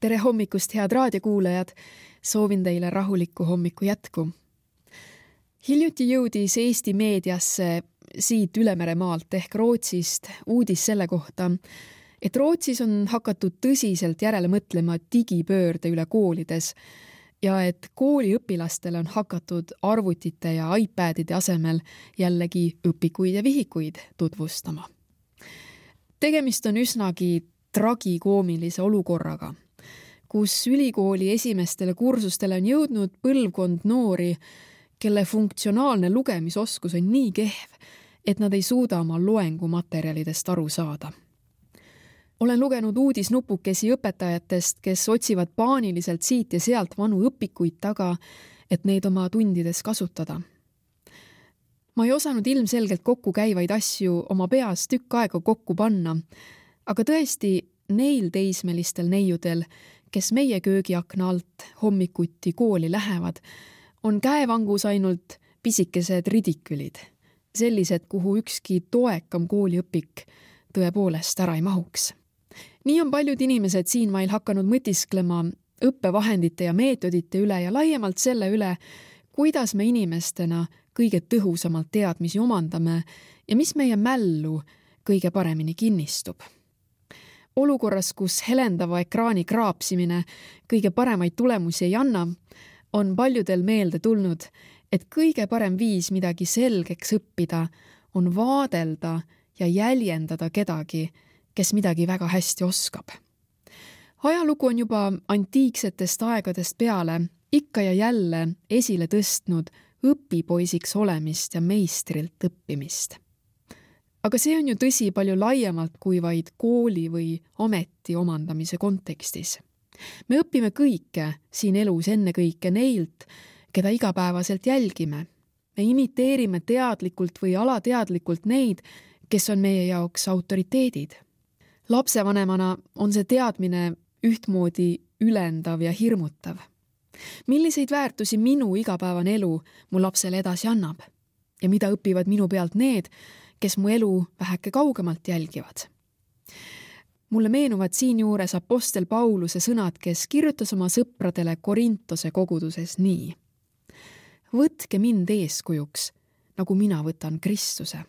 Tere hommikust, head raadiokuulajad! Soovin teile rahulikku hommiku jätku. Hiljuti jõudis Eesti meediasse siit Ülemeremaalt ehk Rootsist uudis selle kohta, et Rootsis on hakatud tõsiselt järele mõtlema digipöörde üle koolides ja et kooliõpilastele on hakatud arvutite ja iPadide asemel jällegi õpikuid ja vihikuid tutvustama. Tegemist on üsnagi tragikoomilise olukorraga, kus ülikooli esimestele kursustele on jõudnud põlvkond noori, kelle funktsionaalne lugemisoskus on nii kehv, et nad ei suuda oma loengumaterjalidest aru saada. Olen lugenud uudisnupukesi õpetajatest, kes otsivad paaniliselt siit ja sealt vanu õpikuid taga, et neid oma tundides kasutada. Ma ei osanud ilmselgelt kokku käivaid asju oma peas tükk aega kokku panna, aga tõesti neil teismelistel neiudel, kes meie köögiakna alt hommikuti kooli lähevad, on käevangus ainult pisikesed ridikülid, sellised, kuhu ükski toekam kooliõpik tõepoolest ära ei mahuks. Nii on paljud inimesed siinmail hakanud mõtisklema õppevahendite ja meetodite üle ja laiemalt selle üle, kuidas me inimestena kõige tõhusamalt teadmisi omandame ja mis meie mällu kõige paremini kinnistub. Olukorras, kus helendava ekraani kraapsimine kõige paremaid tulemusi ei anna, on paljudel meelde tulnud, et kõige parem viis midagi selgeks õppida on vaadelda ja jäljendada kedagi, kes midagi väga hästi oskab. Ajalugu on juba antiiksetest aegadest peale ikka ja jälle esile tõstnud õpipoisiks olemist ja meistrilt õppimist. Aga see on ju tõsi palju laiemalt kui vaid kooli või ameti omandamise kontekstis. Me õpime kõike siin elus ennekõike neilt, keda igapäevaselt jälgime. Me imiteerime teadlikult või alateadlikult neid, kes on meie jaoks autoriteedid. Lapsevanemana on see teadmine ühtmoodi ülendav ja hirmutav. Milliseid väärtusi minu igapäevane elu mu lapsele edasi annab? Ja mida õpivad minu pealt need, kes mu elu väheke kaugemalt jälgivad? Mulle meenuvad siinjuures apostel Pauluse sõnad, kes kirjutas oma sõpradele Korintose koguduses nii. Võtke mind eeskujuks, nagu mina võtan Kristuse.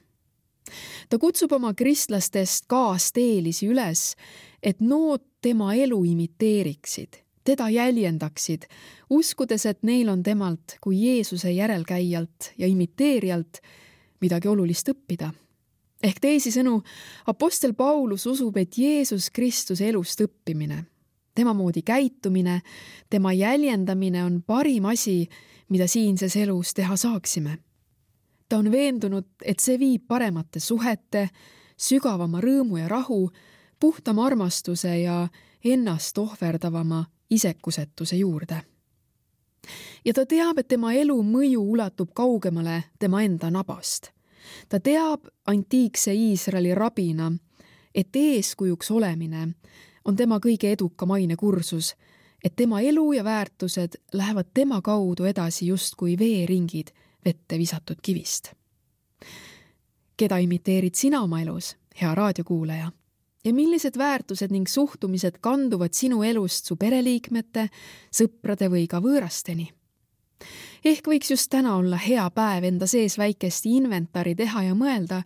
Ta kutsub oma kristlastest kaasteelisi üles, et nood tema elu imiteeriksid, teda jäljendaksid, uskudes, et neil on temalt kui Jeesuse järelkäijalt ja imiteerijalt midagi olulist õppida. Ehk teisisõnu, apostel Paulus usub, et Jeesus Kristuse elust õppimine, tema moodi käitumine, tema jäljendamine on parim asi, mida siinses elus teha saaksime. Ta on veendunud, et see viib paremate suhete, sügavama rõõmu ja rahu, puhtama armastuse ja ennast ohverdavama isekusetuse juurde. Ja ta teab, et tema elu mõju ulatub kaugemale tema enda nabast. Ta teab antiikse Iisraeli rabina, et eeskujuks olemine on tema kõige edukam ainekursus, et tema elu ja väärtused lähevad tema kaudu edasi justkui veeringid vette visatud kivist. Keda imiteerid sina oma elus, hea raadiokuulaja? Ja millised väärtused ning suhtumised kanduvad sinu elust su pereliikmete, sõprade või ka võõrasteni? Ehk võiks just täna olla hea päev enda sees väikesti inventari teha ja mõelda,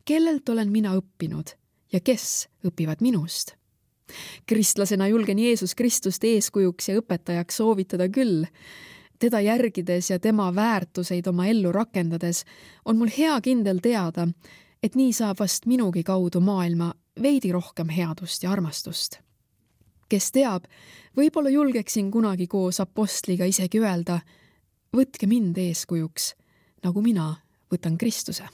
kellelt olen mina õppinud ja kes õpivad minust. Kristlasena julgen Jeesus Kristust eeskujuks ja õpetajaks soovitada küll. Teda järgides ja tema väärtuseid oma ellu rakendades on mul hea kindel teada, et nii saab vast minugi kaudu maailma veidi rohkem headust ja armastust. Kes teab, võib-olla julgeksin kunagi koos apostliga isegi öelda, võtke mind eeskujuks, nagu mina võtan Kristuse.